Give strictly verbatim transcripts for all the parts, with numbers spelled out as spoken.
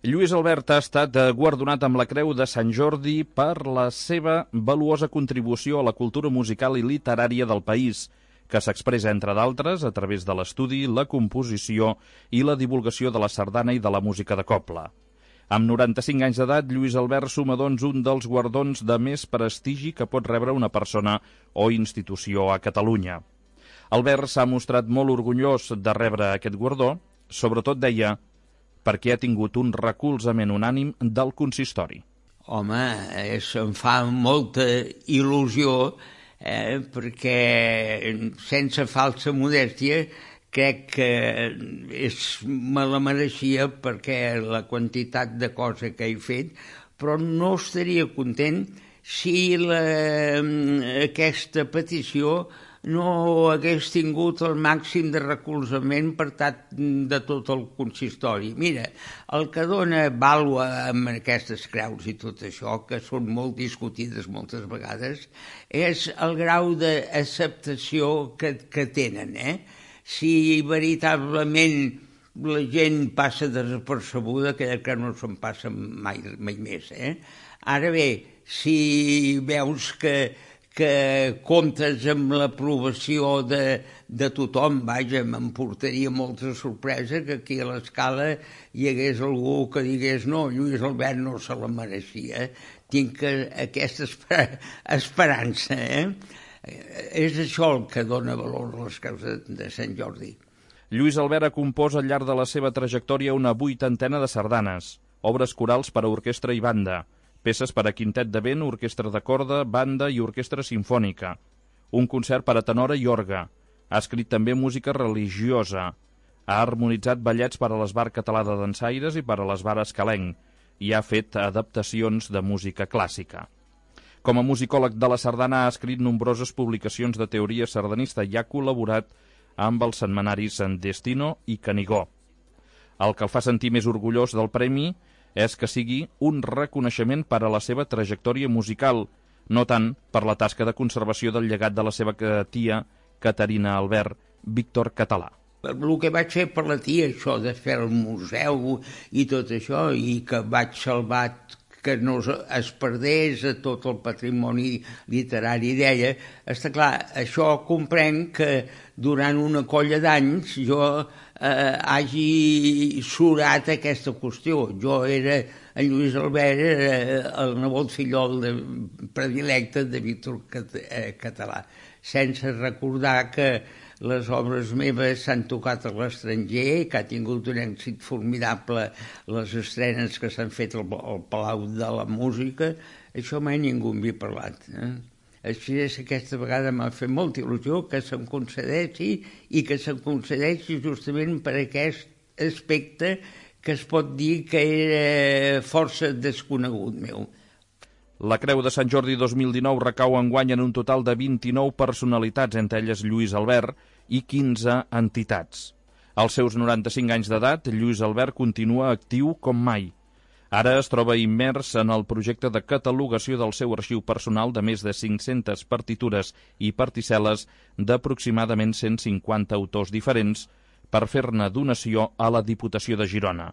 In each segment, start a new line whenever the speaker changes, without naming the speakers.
Lluís Albert ha estat guardonat amb la Creu de Sant Jordi per la seva valuosa contribució a la cultura musical i literària del país, que s'expressa, entre d'altres, a través de l'estudi, la composició i la divulgació de la sardana i de la música de cobla. Amb noranta-cinc anys d'edat, Lluís Albert suma, doncs, un dels guardons de més prestigi que pot rebre una persona o institució a Catalunya. Albert s'ha mostrat molt orgullós de rebre aquest guardó, sobretot, deia, perquè ha tingut un recolzament unànim del consistori.
Home, això em fa molta il·lusió, eh, perquè sense falsa modèstia crec que és, me la mereixia perquè la quantitat de cosa que he fet, però no estaria content si la, aquesta petició no hagués tingut el màxim de recolzament per part de tot el consistori. Mira, el que dona vàlua amb aquestes creus i tot això, que són molt discutides moltes vegades, és el grau d'acceptació que, que tenen, eh? Si veritablement la gent passa desapercebuda, que, que no se'n passa mai, mai més, eh? Ara bé, si veus que que comptes amb l'aprovació de, de tothom, vaja, m'emportaria molta sorpresa que aquí a l'Escala hi hagués algú que digués no, Lluís Albert no se la mereixia. Tinc aquesta esper esperança, eh? És això el que dona valor a les creus de, de Sant Jordi.
Lluís Albert ha compost al llarg de la seva trajectòria una vuitantena de sardanes, obres corals per a orquestra i banda, peces per a quintet de vent, orquestra de corda, banda i orquestra simfònica, un concert per a tenora i orgue. Ha escrit també música religiosa. Ha harmonitzat ballets per a l'Esbar Català de Dansaires i per a l'Esbar Escalenc i ha fet adaptacions de música clàssica. Com a musicòleg de la sardana ha escrit nombroses publicacions de teoria sardanista i ha col·laborat amb els setmanaris en Destino i Canigó. El que el fa sentir més orgullós del premi és que sigui un reconeixement per a la seva trajectòria musical, no tant per la tasca de conservació del llegat de la seva tia, Caterina Albert, Víctor Català.
El que vaig fer per la tia, això de fer el museu i tot això, i que vaig salvar que no es perdés a tot el patrimoni literari d'ella, està clar, això comprenc que durant una colla d'anys jo eh, hagi surat aquesta qüestió. Jo era, en Lluís Albert, era el nebot fillol de, predilecte de Víctor Català, sense recordar que les obres meves s'han tocat a l'estranger, que ha tingut un èxit formidable les estrenes que s'han fet al, al Palau de la Música. Això mai ningú m'hi ha parlat. Eh? Així és, aquesta vegada m'ha fet molta il·lusió que se'm concedeixi i que se'm concedeixi justament per aquest aspecte que es pot dir que era força desconegut meu.
La Creu de Sant Jordi dos mil dinou recau enguany en un total de vint-i-nou personalitats, entre elles Lluís Albert, i quinze entitats. Als seus noranta-cinc anys d'edat, Lluís Albert continua actiu com mai. Ara es troba immers en el projecte de catalogació del seu arxiu personal de més de cinc-centes partitures i particel·les d'aproximadament cent cinquanta autors diferents per fer-ne donació a la Diputació de Girona.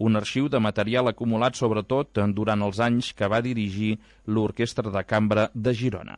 Un arxiu de material acumulat sobretot durant els anys que va dirigir l'Orquestra de Cambra de Girona.